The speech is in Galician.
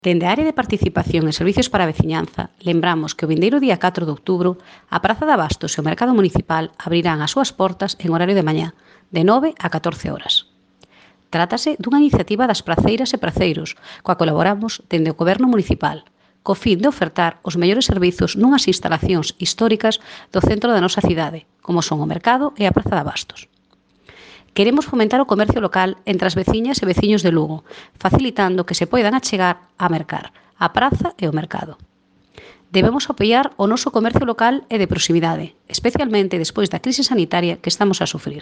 Dende a área de participación e servicios para a veciñanza, lembramos que o vindeiro día 4 de outubro a Praza de Abastos e o Mercado Municipal abrirán as súas portas en horario de mañá, de 9 a 14 horas. Trátase dunha iniciativa das praceiras e praceiros, coa colaboramos dende o Goberno Municipal, co fin de ofertar os mellores servizos nunhas instalacións históricas do centro da nosa cidade, como son o Mercado e a Praza de Abastos. Queremos fomentar o comercio local entre as veciñas e veciños de Lugo, facilitando que se poidan achegar a mercar a praza e o mercado. Debemos apoiar o noso comercio local e de proximidade, especialmente despois da crise sanitaria que estamos a sufrir.